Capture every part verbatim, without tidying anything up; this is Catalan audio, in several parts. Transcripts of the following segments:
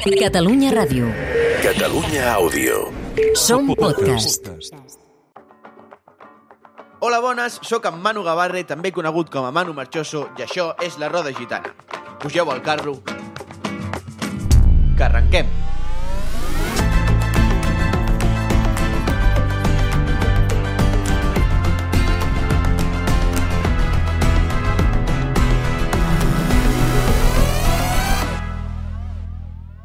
Catalunya Ràdio. Catalunya Àudio. Som podcast. Hola, bones, sóc en Manu Gavarre, també conegut com a Manu Marchoso, i això és La Roda Gitana. Pugeu al carro, que arrenquem.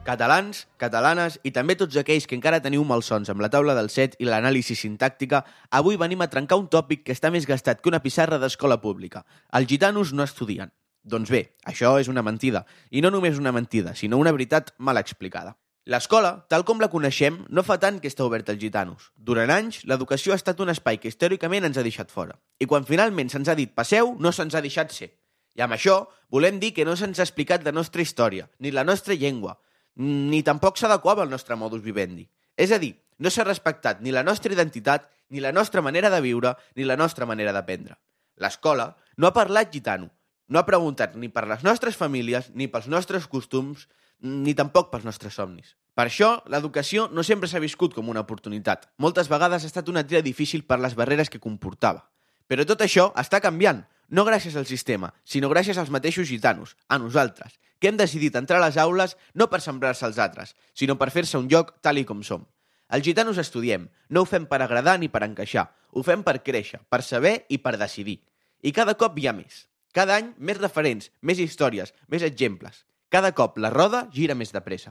Catalans, catalanes i també tots aquells que encara teniu malsons amb la taula del set i l'anàlisi sintàctica, avui venim a trencar un tòpic que està més gastat que una pissarra d'escola pública. Els gitanos no estudien. Doncs bé, això és una mentida. I no només una mentida, sinó una veritat mal explicada. L'escola, tal com la coneixem, no fa tant que està oberta als gitanos. Durant anys, l'educació ha estat un espai que històricament ens ha deixat fora. I quan finalment se'ns ha dit passeu, no se'ns ha deixat ser. I amb això volem dir que no se'ns ha explicat la nostra història, ni la nostra llengua, ni tampoc s'adequava al nostre modus vivendi. És a dir, no s'ha respectat ni la nostra identitat, ni la nostra manera de viure, ni la nostra manera d'aprendre. L'escola no ha parlat gitano, no ha preguntat ni per les nostres famílies, ni pels nostres costums, ni tampoc pels nostres somnis. Per això, l'educació no sempre s'ha viscut com una oportunitat. Moltes vegades ha estat una tira difícil per les barreres que comportava. Però tot això està canviant, no gràcies al sistema, sinó gràcies als mateixos gitanos, a nosaltres, que hem decidit entrar a les aules no per sembrar-se als altres, sinó per fer-se un lloc tal i com som. Els gitanos estudiem, no ho fem per agradar ni per encaixar, ho fem per créixer, per saber i per decidir. I cada cop hi ha més. Cada any, més referents, més històries, més exemples. Cada cop la roda gira més de pressa.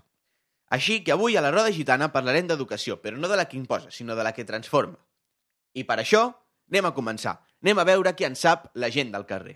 Així que avui a la Roda Gitana parlarem d'educació, però no de la que imposa, sinó de la que transforma. I per això, anem a començar. Anem a veure qui en sap la gent del carrer.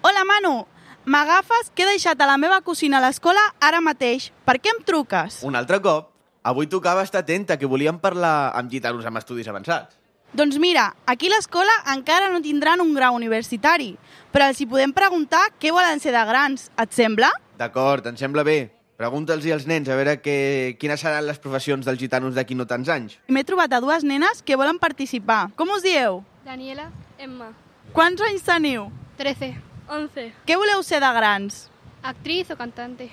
Hola, Manu! M'agafes que he deixat a la meva cosina a l'escola ara mateix. Per què em truques? Un altre cop, avui tocava estar atenta, que volíem parlar amb gitanos amb estudis avançats. Doncs mira, aquí a l'escola encara no tindran un grau universitari, però els hi podem preguntar què volen ser de grans. Et sembla? D'acord, em sembla bé. Pregunta'ls als nens a veure que, quines seran les professions dels gitanos d'aquí no tants anys. M'he trobat a dues nenes que volen participar. Com us dieu? Daniela, Emma. Quants anys teniu? trece. once. Què voleu ser de grans? Actriz o cantante.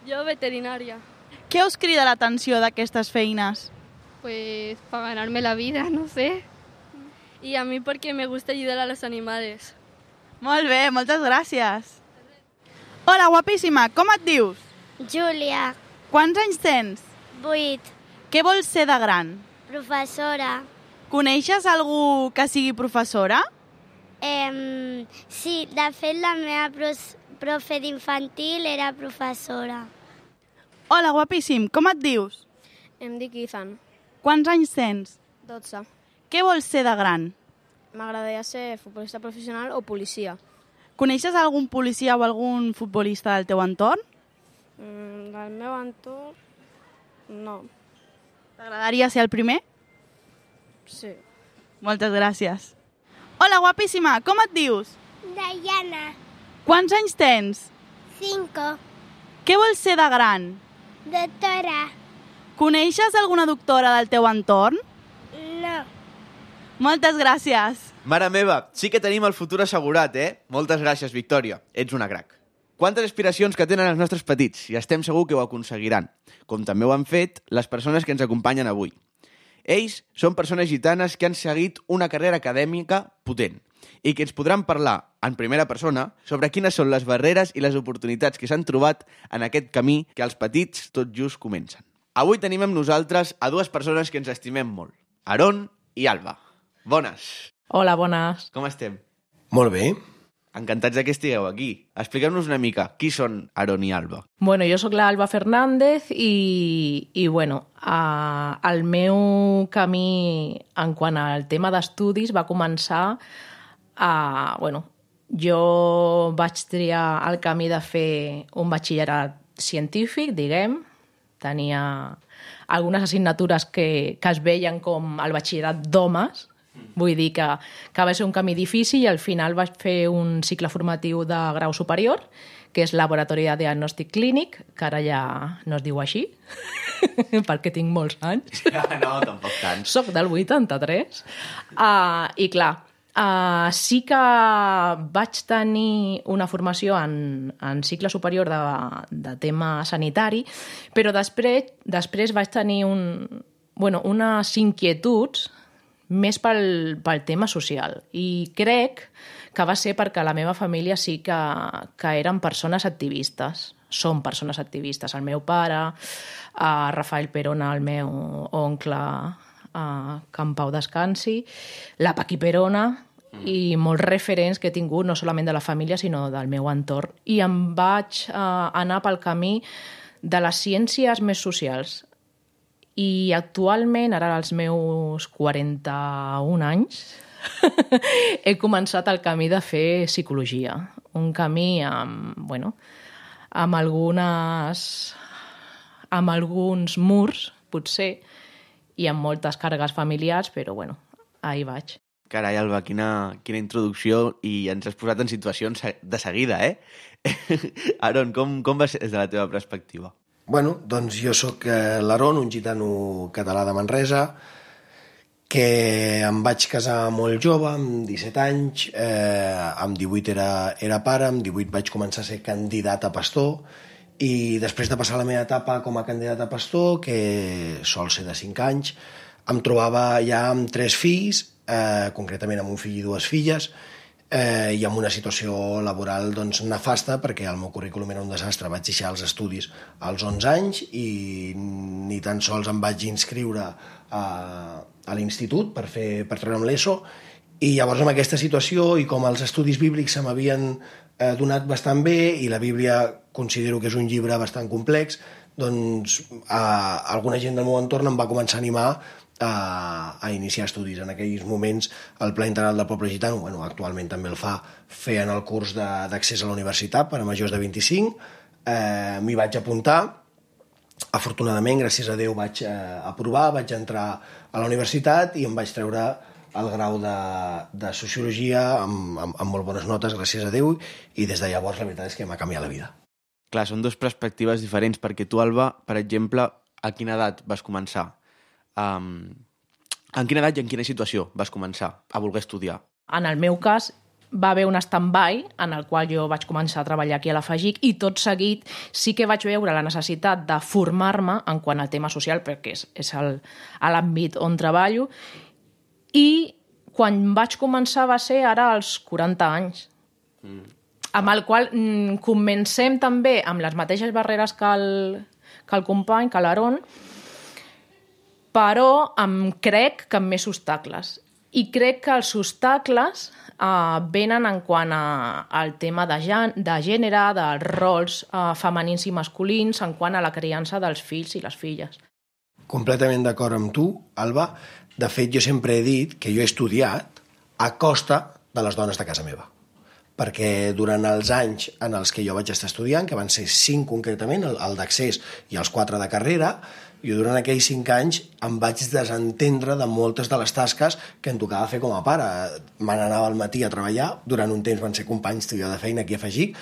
Yo veterinaria. Què us crida l'atenció d'aquestes feines? Pues para ganarme la vida, no sé. Y a mí porque me gusta ayudar a los animales. Molt bé, moltes gràcies. Hola, guapíssima, com et dius? Júlia, Quants anys tens? vuit, Què vols ser de gran? professora. Coneixes algú que sigui professora? Eh, sí, de fet la meva pros, profe d'infantil era professora. Hola, guapíssim, com et dius? Em dic Ethan, Quants anys tens? dotze. Què vols ser de gran? M'agradaria ser futbolista professional o policia. Coneixes algun policia o algun futbolista del teu entorn? Mm, del meu entorn, no. T'agradaria ser el primer? Sí. Moltes gràcies. Hola, guapíssima, com et dius? Diana, Quants anys tens? cinco, Què vols ser de gran? doctora. Coneixes alguna doctora del teu entorn? No. Moltes gràcies. Mare meva, sí que tenim el futur assegurat, eh? Moltes gràcies, Victòria. Ets una crac. Quantes aspiracions que tenen els nostres petits, i estem segur que ho aconseguiran, com també ho han fet les persones que ens acompanyen avui. Ells són persones gitanes que han seguit una carrera acadèmica potent i que ens podran parlar en primera persona sobre quines són les barreres i les oportunitats que s'han trobat en aquest camí que els petits tot just comencen. Avui tenim amb nosaltres a dues persones que ens estimem molt, Aron i Alba. Bones. Hola, bones. Com estem? Molt bé. Encantats que estigueu aquí. Expliqueu-nos una mica qui són Aron i Alba. Bueno, jo sóc l'Alba Fernández i, i bueno, a, el meu camí en quant al tema d'estudis va començar a... Bueno, jo vaig triar el camí de fer un batxillerat científic, diguem. Tenia algunes assignatures que, que es veien com el batxillerat d'homes. Vull dir que, que va ser un camí difícil i al final vaig fer un cicle formatiu de grau superior, que és Laboratori de Diagnòstic Clínic, que ara ja no es diu així, perquè tinc molts anys. No, tampoc tant. Soc del vuitanta-tres. Uh, I clar, Uh, sí que vaig tenir una formació en, en cicle superior de, de tema sanitari, però després, després vaig tenir un, bueno, unes inquietuds més pel, pel tema social. I crec que va ser perquè la meva família sí que, que eren persones activistes. Són persones activistes. El meu pare, uh, Rafael Perona, el meu oncle, uh, que en pau descansi, la Paqui Perona, i molts referents que he tingut, no solament de la família, sinó del meu entorn. I em vaig eh, anar pel camí de les ciències més socials. I actualment, ara als meus quaranta-un anys, he començat el camí de fer psicologia. Un camí amb, bueno, amb algunes... amb alguns murs, potser, i amb moltes càrregues familiars, però, bueno, ahí vaig. Carai, Alba, quina, quina introducció, i ens has posat en situacions de seguida, eh? Aaron, com, com va ser des de la teva perspectiva? Bueno, doncs jo sóc eh, l'Aaron, un gitano català de Manresa, que em vaig casar molt jove, amb disset anys, eh, amb divuit era, era pare, amb divuit vaig començar a ser candidat a pastor, i després de passar la meva etapa com a candidat a pastor, que sol ser de cinc anys, em trobava ja amb tres fills, eh, concretament amb un fill i dues filles, eh, i amb una situació laboral doncs, nefasta, perquè el meu currículum era un desastre. Vaig deixar els estudis als onze anys i ni tan sols em vaig inscriure a, a l'institut per, fer, per treure'm l'ESO, i llavors amb aquesta situació, i com els estudis bíblics se m'havien eh, donat bastant bé, i la Bíblia considero que és un llibre bastant complex, doncs eh, alguna gent del meu entorn em va començar a animar a, a iniciar estudis. En aquells moments el Pla Integral del Poble Gitano, bueno, actualment també el fa, feien el curs d'accés a la universitat per a majors de vint-i-cinc, eh, m'hi vaig apuntar, afortunadament, gràcies a Déu, vaig eh, aprovar, vaig entrar a la universitat i em vaig treure el grau de, de Sociologia amb, amb, amb molt bones notes, gràcies a Déu, i des de llavors la veritat és que m'ha canviat la vida. Clar, són dues perspectives diferents, perquè tu, Alba, per exemple, a quina edat vas començar? Um, en quina edat i en quina situació vas començar a voler estudiar? En el meu cas, va haver un stand-by en el qual jo vaig començar a treballar aquí a la FAGIC, i tot seguit sí que vaig veure la necessitat de formar-me en quant al tema social, perquè és, és el, l'àmbit on treballo, i quan vaig començar va ser ara als quaranta anys, mm. amb el qual mm, comencem també amb les mateixes barreres que el, que el company, que l'Aaron, però em crec que amb més obstacles. I crec que els obstacles eh, venen en quant a, al tema de, gen, de gènere, dels rols eh, femenins i masculins, en quant a la criança dels fills i les filles. Completament d'acord amb tu, Alba. De fet, jo sempre he dit que jo he estudiat a costa de les dones de casa meva. Perquè durant els anys en els que jo vaig estar estudiant, que van ser cinc concretament, el, el d'accés i els quatre de carrera, jo durant aquells cinc anys em vaig desentendre de moltes de les tasques que em tocava fer com a pare. Me n'anava al matí a treballar, durant un temps van ser companys tu i jo de feina aquí a FAGIC,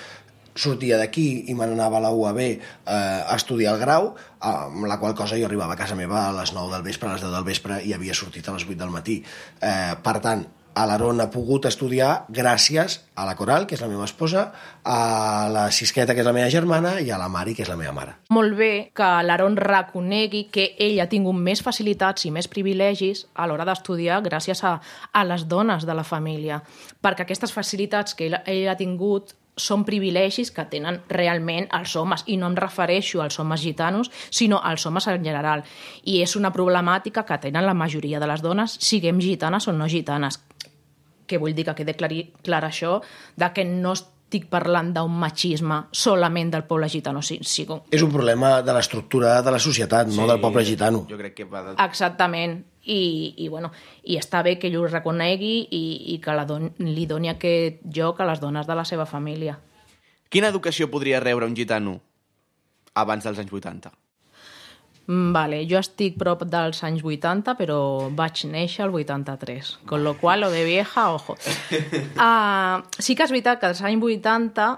sortia d'aquí i me n'anava a la U A B eh, a estudiar el grau, amb la qual cosa jo arribava a casa meva a les nou del vespre, a les deu del vespre, i havia sortit a les vuit del matí. Eh, per tant, a l'Aaron ha pogut estudiar gràcies a la Coral, que és la meva esposa, a la Sisqueta, que és la meva germana, i a la Mari, que és la meva mare. Molt bé que l'Aaron reconegui que ell ha tingut més facilitats i més privilegis a l'hora d'estudiar gràcies a, a les dones de la família, perquè aquestes facilitats que ell, ell ha tingut són privilegis que tenen realment els homes, i no em refereixo als homes gitanos, sinó als homes en general. I és una problemàtica que tenen la majoria de les dones, siguem gitanes o no gitanes. Que vull dir que quede clar, clar això, de que no estic parlant d'un machisme solament del poble gitano. Sí, sí. És un problema de l'estructura de la societat, sí, no del poble gitano. Jo crec que va de... Exactament. I, i, bueno, i està bé que ell ho reconegui i, i que la don, li doni aquest lloc a les dones de la seva família. Quina educació podria rebre un gitano abans dels anys vuitanta? Vale, jo estic prop dels anys vuitanta, però vaig néixer al vuitanta-tres, con lo cual, lo de vieja, ojo. Uh, sí que és veritat que als anys vuitanta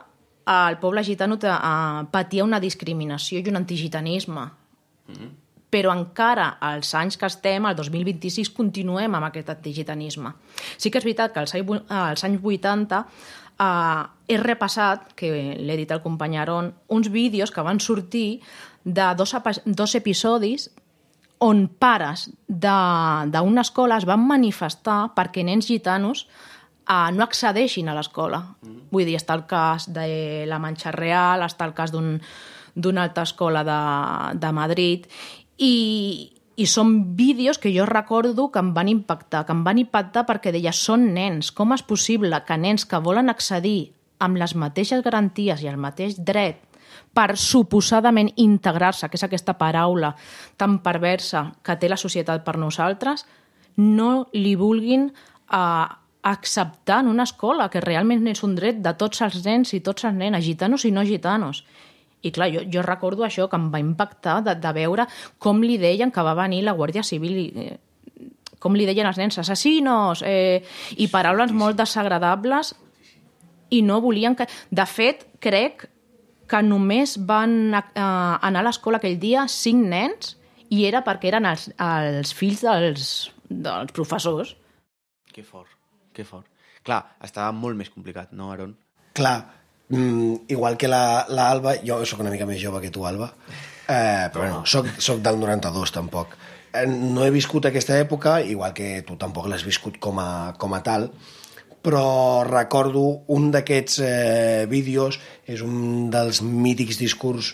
el poble gitano uh, patia una discriminació i un antigitanisme. Mm-hmm. però encara als anys que estem, al dos mil vint-i-sis, continuem amb aquest antigitanisme. Sí que és veritat que als anys vuitanta eh, he repassat, que l'he dit al company Aaron, uns vídeos que van sortir de dos, dos episodis on pares d'una escola es van manifestar perquè nens gitanos eh, no accedeixin a l'escola. Mm. Vull dir, està el cas de la Manxa Real, està el cas d'una un, altra escola de, de Madrid, i, i són vídeos que jo recordo que em van impactar, que em van impactar perquè deia, són nens, com és possible que nens que volen accedir amb les mateixes garanties i el mateix dret per suposadament integrar-se, que és aquesta paraula tan perversa que té la societat per nosaltres, no li vulguin eh, acceptar en una escola, que realment és un dret de tots els nens i tots els nenes, gitanos i no gitanos. I clar, jo, jo recordo això, que em va impactar de, de veure com li deien que va venir la Guàrdia Civil, i, eh, com li deien els nens, assassinos, eh, i paraules molt desagradables, i no volien que... De fet, crec que només van eh, anar a l'escola aquell dia cinc nens, i era perquè eren els, els fills dels, dels professors. Que fort, que fort. Clar, estava molt més complicat, no, Aaron? Clar, mm, igual que l'Alba, la, jo sóc una mica més jove que tu, Alba, eh, però bueno, soc, soc del noranta-dos, tampoc. Eh, no he viscut aquesta època, igual que tu tampoc l'has viscut com a, com a tal, però recordo un d'aquests eh, vídeos, és un dels mítics discurs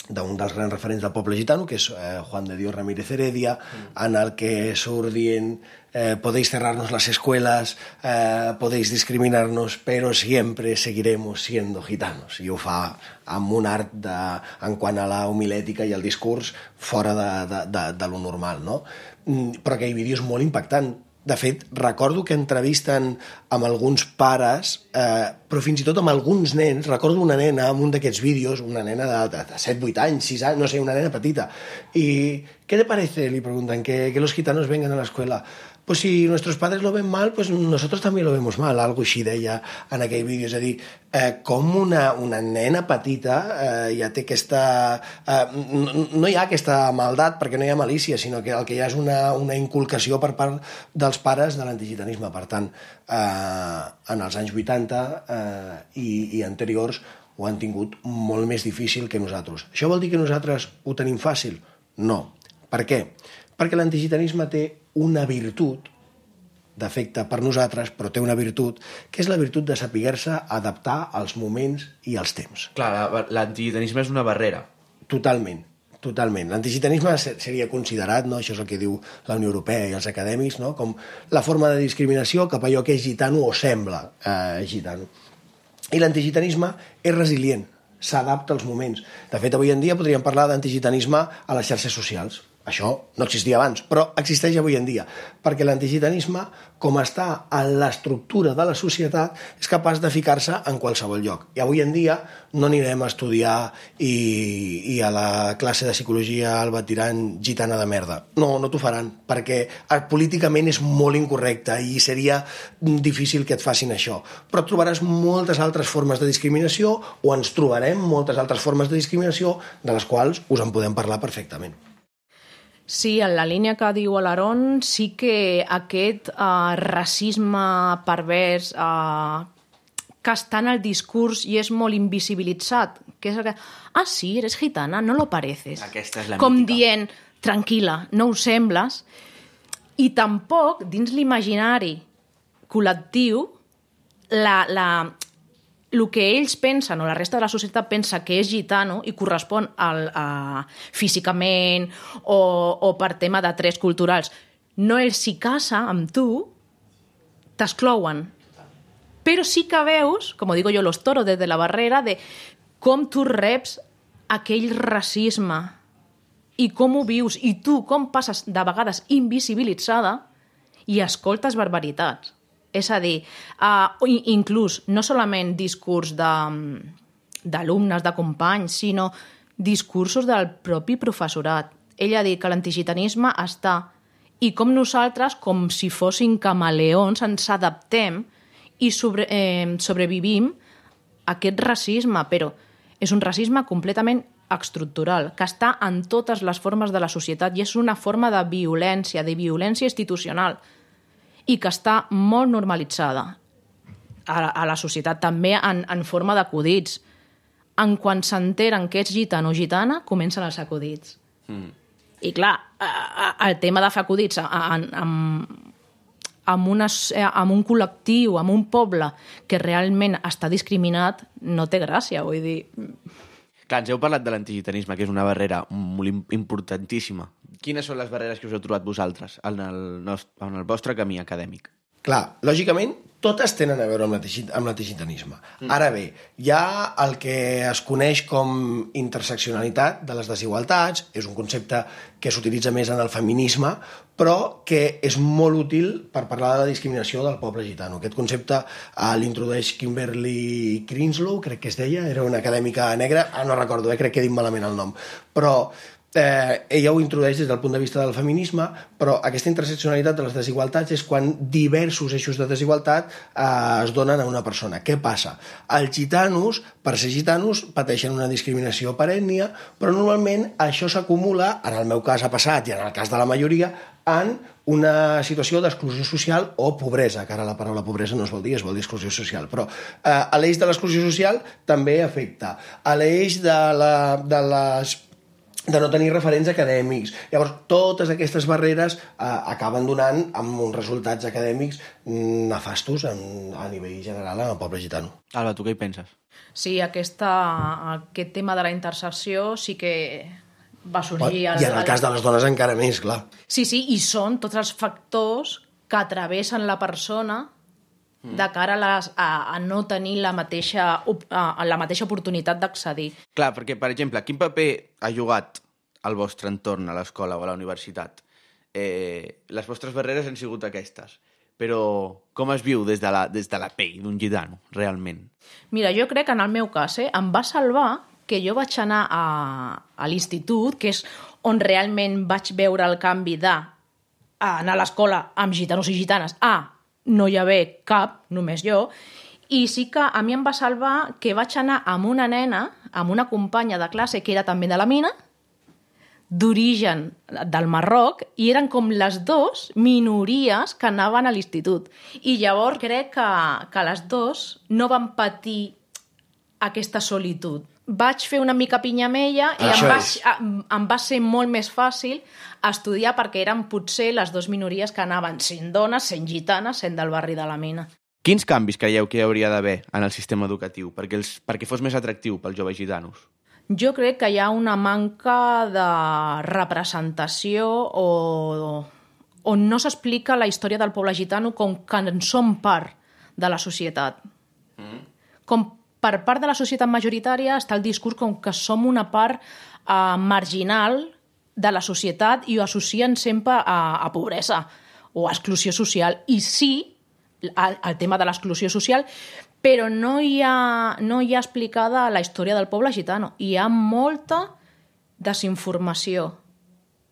d'un dels grans referents del poble gitano, que és eh, Juan de Dios Ramírez Heredia, mm. en el que surt dient eh, podéis cerrarnos las escuelas, eh, podéis discriminarnos, pero siempre seguiremos siendo gitanos. I ho fa amb un art de, en quant a la homilètica i el discurs fora de, de, de, de lo normal, no? Mm, però aquell vídeo és molt impactant. De fet, recordo que entrevisten amb alguns pares, eh, però fins i tot amb alguns nens. Recordo una nena amb un d'aquests vídeos, una nena de, de, de set, vuit anys, sis anys, no sé, una nena petita. I ¿qué te parece? Li preguntan, que, que los gitanos vengan a la escuela. Pues si nuestros padres lo ven mal, pues nosotros también lo vemos mal. Algo així deia en aquell vídeo. És a dir, eh, com una, una nena petita eh, ja té aquesta... Eh, no, no hi ha aquesta maldat perquè no hi ha malícia, sinó que el que hi ha és una, una inculcació per part dels pares de l'antigitanisme. Per tant, eh, en els anys vuitanta eh, i, i anteriors ho han tingut molt més difícil que nosaltres. Això vol dir que nosaltres ho tenim fàcil? No. Per què? Perquè l'antigitanisme té una virtut, defecte per nosaltres, però té una virtut, que és la virtut de saber-se adaptar als moments i als temps. Clar, l'antigitanisme és una barrera. Totalment, totalment. L'antigitanisme seria considerat, no? Això és el que diu la Unió Europea i els acadèmics, no? Com la forma de discriminació cap a allò que és gitano o sembla eh, gitano. I l'antigitanisme és resilient, s'adapta als moments. De fet, avui en dia podríem parlar d'antigitanisme a les xarxes socials. Això no existia abans, però existeix avui en dia, perquè l'antigitanisme, com està en l'estructura de la societat, és capaç de ficar-se en qualsevol lloc. I avui en dia no anirem a estudiar i, i a la classe de psicologia Alba tirant gitana de merda. No, no t'ho faran, perquè políticament és molt incorrecte i seria difícil que et facin això. Però trobaràs moltes altres formes de discriminació, o ens trobarem moltes altres formes de discriminació, de les quals us en podem parlar perfectament. Sí, en la línia que diu l'Aaron, sí que aquest eh, racisme pervers eh, que està en el discurs i és molt invisibilitzat, que és que, ah, sí, eres gitana, no lo pareces. Aquesta és la Com mítica. dient, tranquil·la, no ho sembles. I tampoc, dins l'imaginari col·lectiu, la... la el que ells pensen, o la resta de la societat pensa que és gitano i correspon al, a, físicament o, o per tema de trets culturals, no els s'hi casa amb tu, t'exclouen. Però sí que veus, com digo yo, los toros des de la barrera, de com tu reps aquell racisme i com ho vius, i tu com passes de vegades invisibilitzada i escoltes barbaritats. És a dir, uh, inclús no solament discurs d'alumnes, de, de companys, sinó discursos del propi professorat. Ell ha dit que l'antigitanisme està, i com nosaltres, com si fossin camaleons, ens adaptem i sobre, eh, sobrevivim a aquest racisme, però és un racisme completament estructural, que està en totes les formes de la societat i és una forma de violència, de violència institucional i que està molt normalitzada a, a la societat, també en, en forma d'acudits. En quan s'enteren que ets gitano o gitana, comencen els acudits. Mm. I clar, el tema de fer acudits en, en, amb, una, amb un col·lectiu, amb un poble que realment està discriminat, no té gràcia, vull dir... Clar, ens heu parlat de l'antigitanisme, que és una barrera molt importantíssima. Quines són les barreres que us heu trobat vosaltres en el, nostre, en el vostre camí acadèmic? Clar, lògicament, totes tenen a veure amb l'antigitanisme. Mm. Ara bé, hi ha el que es coneix com interseccionalitat de les desigualtats, és un concepte que s'utilitza més en el feminisme, però que és molt útil per parlar de la discriminació del poble gitano. Aquest concepte eh, l'introdueix Kimberly Crinslow, crec que es deia, era una acadèmica negra, ah, no recordo, eh, crec que he dit malament el nom, però eh, ella ho introdueix des del punt de vista del feminisme, però aquesta interseccionalitat de les desigualtats és quan diversos eixos de desigualtat eh, es donen a una persona. Què passa? Els gitanos, per ser gitanos, pateixen una discriminació per ètnia, però normalment això s'acumula, en el meu cas ha passat i en el cas de la majoria, en una situació d'exclusió social o pobresa, que ara la paraula pobresa no es vol dir, es vol dir exclusió social, però eh, a l'eix de l'exclusió social també afecta. A l'eix de, la, de les de no tenir referents acadèmics. Llavors, totes aquestes barreres eh, acaben donant amb uns resultats acadèmics nefastos en, a nivell general en el poble gitano. Alba, tu què hi penses? Sí, aquesta, aquest tema de la intersecció sí que va sorgir... I en el cas de les dones encara més, clar. Sí, sí, i són tots els factors que travessen la persona de cara a, les, a, a no tenir la mateixa, a, la mateixa oportunitat d'accedir. Clar, perquè, per exemple, quin paper ha jugat al vostre entorn, a l'escola o a la universitat? Eh, les vostres barreres han sigut aquestes, però com es viu des de la, des de la pell d'un gitano, realment? Mira, jo crec que en el meu cas eh, em va salvar que jo vaig anar a, a l'institut, que és on realment vaig veure el canvi de anar a l'escola amb gitanos i gitanes a no hi haver cap, només jo, i sí que a mi em va salvar que vaig anar amb una nena, amb una companya de classe que era també de la mina, d'origen del Marroc, i eren com les dues minories que anaven a l'institut. I llavors crec que, que les dues no van patir aquesta solitud. Vaig fer una mica pinya amb ella i em va, em va ser molt més fàcil estudiar perquè eren potser les dues minories que anaven sent dones, sent gitanes, sent del barri de la mina. Quins canvis creieu que hi hauria d'haver en el sistema educatiu perquè, els, perquè fos més atractiu pels joves gitanos? Jo crec que hi ha una manca de representació o on no s'explica la història del poble gitano com que en som part de la societat. Mm. Com per part de la societat majoritària està el discurs com que som una part eh, marginal de la societat i ho associen sempre a, a pobresa o a exclusió social. I sí, el, el tema de l'exclusió social, però no hi, ha, no hi ha explicada la història del poble gitano. Hi ha molta desinformació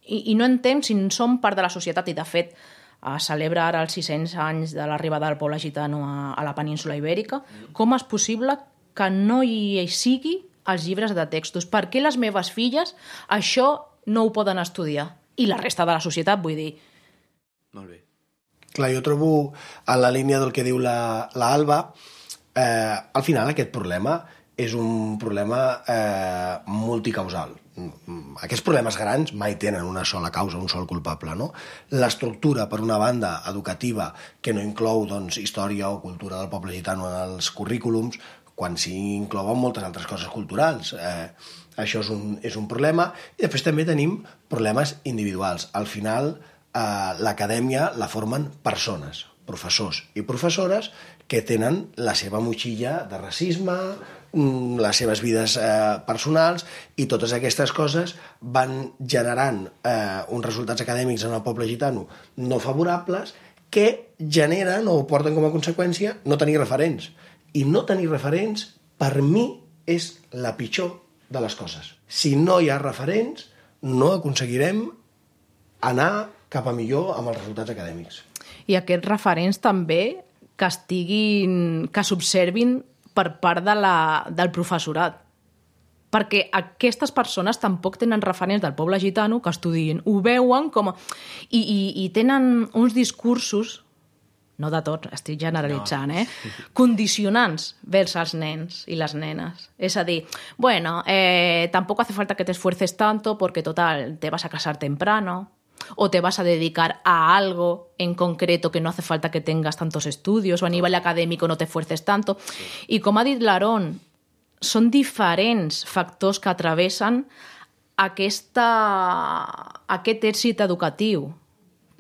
i, i no entenem si som part de la societat i, de fet, a celebra ara els sis-cents anys de l'arribada del poble gitano a, a la península Ibèrica. Com és possible que no hi sigui als llibres de textos? Per què les meves filles això no ho poden estudiar? I la resta de la societat, vull dir. Molt bé. Clar, jo trobo, en la línia del que diu la, la Alba, eh, al final aquest problema és un problema eh, multicausal. Aquests problemes grans mai tenen una sola causa, un sol culpable, no? L'estructura, per una banda, educativa, que no inclou doncs, història o cultura del poble gitano en els currículums, quan s'hi inclouen moltes altres coses culturals. Eh, això és un, és un problema. I després també tenim problemes individuals. Al final, eh, l'acadèmia la formen persones, professors i professores que tenen la seva motxilla de racisme, les seves vides eh, personals, i totes aquestes coses van generant eh, uns resultats acadèmics en el poble gitano no favorables que generen o porten com a conseqüència no tenir referents. I no tenir referents, per mi, és la pitjor de les coses. Si no hi ha referents, no aconseguirem anar cap a millor amb els resultats acadèmics. I aquests referents també que estiguin, que s'observin per part de la, del professorat. perquè aquestes persones tampoc tenen referents del poble gitano que estudien. Ho veuen com a... I, i, i tenen uns discursos, no de tots, estic generalitzant, eh? Condicionants vers els nens i les nenes. És a dir, bueno, eh, tampoco hace falta que te esfuerces tanto porque, total, te vas a casar temprano o te vas a dedicar a algo en concreto que no hace falta que tengas tantos estudios o a nivel académico no te esfuerces tanto. I com ha dit l'Aaron, són diferents factors que travessen aquesta, aquest èxit educatiu.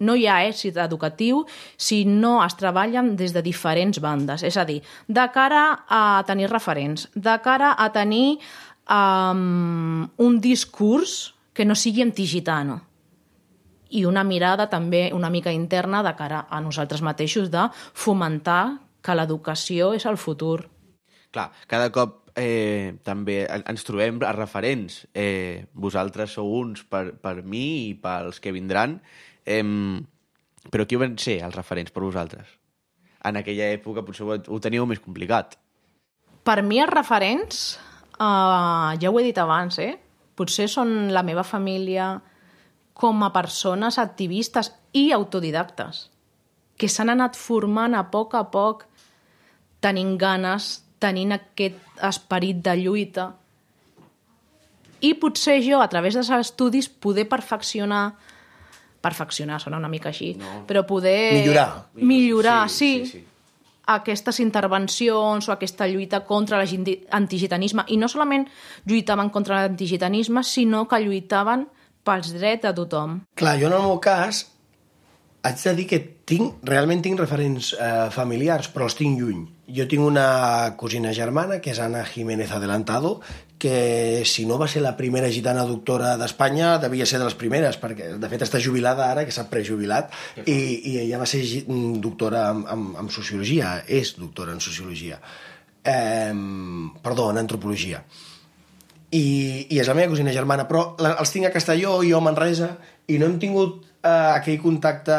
No hi ha èxit educatiu si no es treballen des de diferents bandes. És a dir, de cara a tenir referents, de cara a tenir um, un discurs que no sigui antigitano i una mirada també una mica interna de cara a nosaltres mateixos de fomentar que l'educació és el futur. Clar, cada cop eh, també ens trobem a referents. Eh, vosaltres sou uns per, per mi i pels que vindran. Eh, però qui van ser els referents per vosaltres? En aquella època potser ho, ho teníeu més complicat. Per mi els referents, uh, ja ho he dit abans, eh? Potser són la meva família com a persones activistes i autodidactes, que s'han anat formant a poc a poc, tenint ganes, tenint aquest esperit de lluita. I potser jo, a través dels estudis, poder perfeccionar, perfeccionar, sona una mica així, no. però poder... Millorar. Millorar, sí, sí, sí, sí. aquestes intervencions o aquesta lluita contra l'antigitanisme. I no solament lluitaven contra l'antigitanisme, sinó que lluitaven pels drets de tothom. Clar, jo en el meu cas haig de dir que tinc, realment tinc referents eh, familiars, però els tinc lluny. Jo tinc una cosina germana, que és Ana Jiménez Adelantado, que si no va ser la primera gitana doctora d'Espanya, devia ser de les primeres, perquè de fet està jubilada ara, que s'ha prejubilat, i, i ella va ser doctora en, en, en sociologia, és doctora en sociologia. Eh, perdó, en antropologia. I, i és la meva cosina germana, però la, els tinc a Castelló i jo a Manresa, i no hem tingut eh, aquell contacte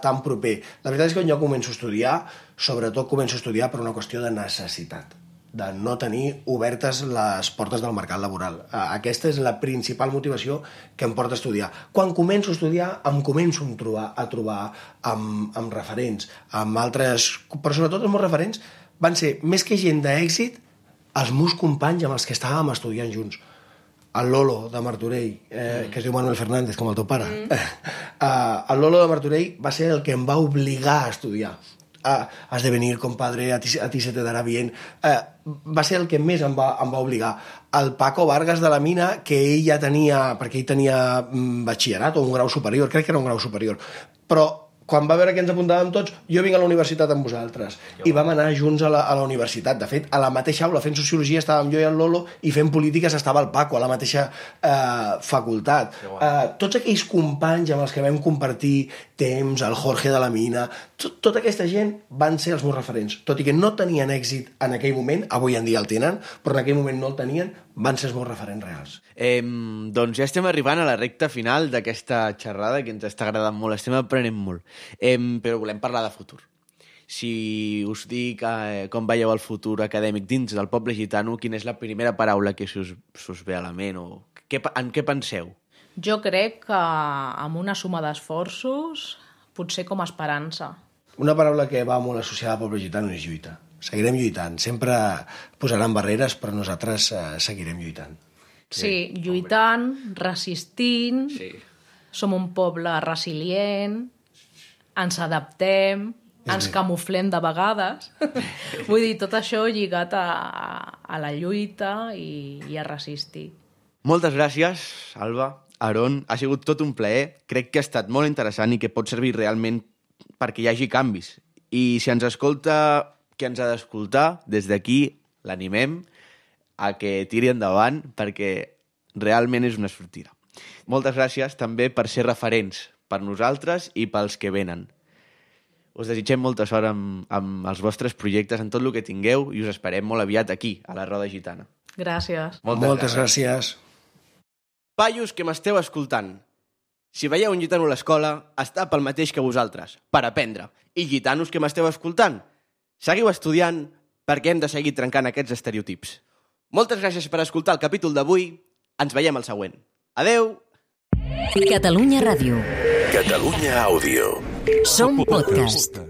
tan proper. La veritat és que quan jo començo a estudiar, sobretot començo a estudiar per una qüestió de necessitat, de no tenir obertes les portes del mercat laboral. Aquesta és la principal motivació que em porta a estudiar. Quan començo a estudiar, em començo a trobar, a trobar amb, amb referents, amb altres... Però sobretot els meus referents van ser, més que gent d'èxit, els meus companys amb els que estàvem estudiant junts. El Lolo de Martorell, eh, que es diu Manuel Fernández, com el teu pare. Mm. Uh, el Lolo de Martorell va ser el que em va obligar a estudiar. Uh, has de venir, compadre, a ti, a ti se te darà bien. Uh, va ser el que més em va, em va obligar. El Paco Vargas de la Mina, que ell ja tenia, perquè ell tenia mm, batxillerat o un grau superior, crec que era un grau superior, però quan va veure que ens apuntàvem tots, jo vinc a la universitat amb vosaltres. I vam anar junts a la, a la universitat. De fet, a la mateixa aula, fent sociologia, estàvem jo i el Lolo, i fent polítiques estava el Paco, a la mateixa eh, facultat. Eh, tots aquells companys amb els que vam compartir temps, el Jorge de la Mina, tot, tota aquesta gent van ser els meus referents. Tot i que no tenien èxit en aquell moment, avui en dia el tenen, però en aquell moment no el tenien, van ser els meus referents reals. Eh, doncs ja estem arribant a la recta final d'aquesta xerrada, que ens està agradant molt, estem aprenent molt. Eh, però volem parlar de futur. Si us dic eh, com veieu el futur acadèmic dins del poble gitano, quina és la primera paraula que us, us ve a la ment? O què, en què penseu? Jo crec que amb una suma d'esforços, potser com a esperança. Una paraula que va molt associada al poble gitano és lluita. Seguirem lluitant. Sempre posaran barreres, però nosaltres eh, seguirem lluitant. Sí, sí, lluitant, resistint, sí. Som un poble resilient, ens adaptem, ens camuflem de vegades. Vull dir, tot això lligat a, a la lluita i, i a resistir. Moltes gràcies, Alba, Aaron. Ha sigut tot un plaer. Crec que ha estat molt interessant i que pot servir realment perquè hi hagi canvis. I si ens escolta qui ens ha d'escoltar, des d'aquí l'animem a que tiri endavant perquè realment és una sortida. Moltes gràcies també per ser referents per nosaltres i pels que venen. Us desitgem molta sort amb, amb els vostres projectes, en tot el que tingueu, i us esperem molt aviat aquí, a la Roda Gitana. Gràcies. Moltes, Moltes gràcies. gràcies. Paios que m'esteu escoltant, si veieu un gitano a l'escola, està pel mateix que vosaltres, per aprendre. I gitanos que m'esteu escoltant, seguiu estudiant perquè hem de seguir trencant aquests estereotips. Moltes gràcies per escoltar el capítol d'avui. Ens veiem al següent. Adeu! Catalunya Ràdio. Catalunya Àudio. Som podcast.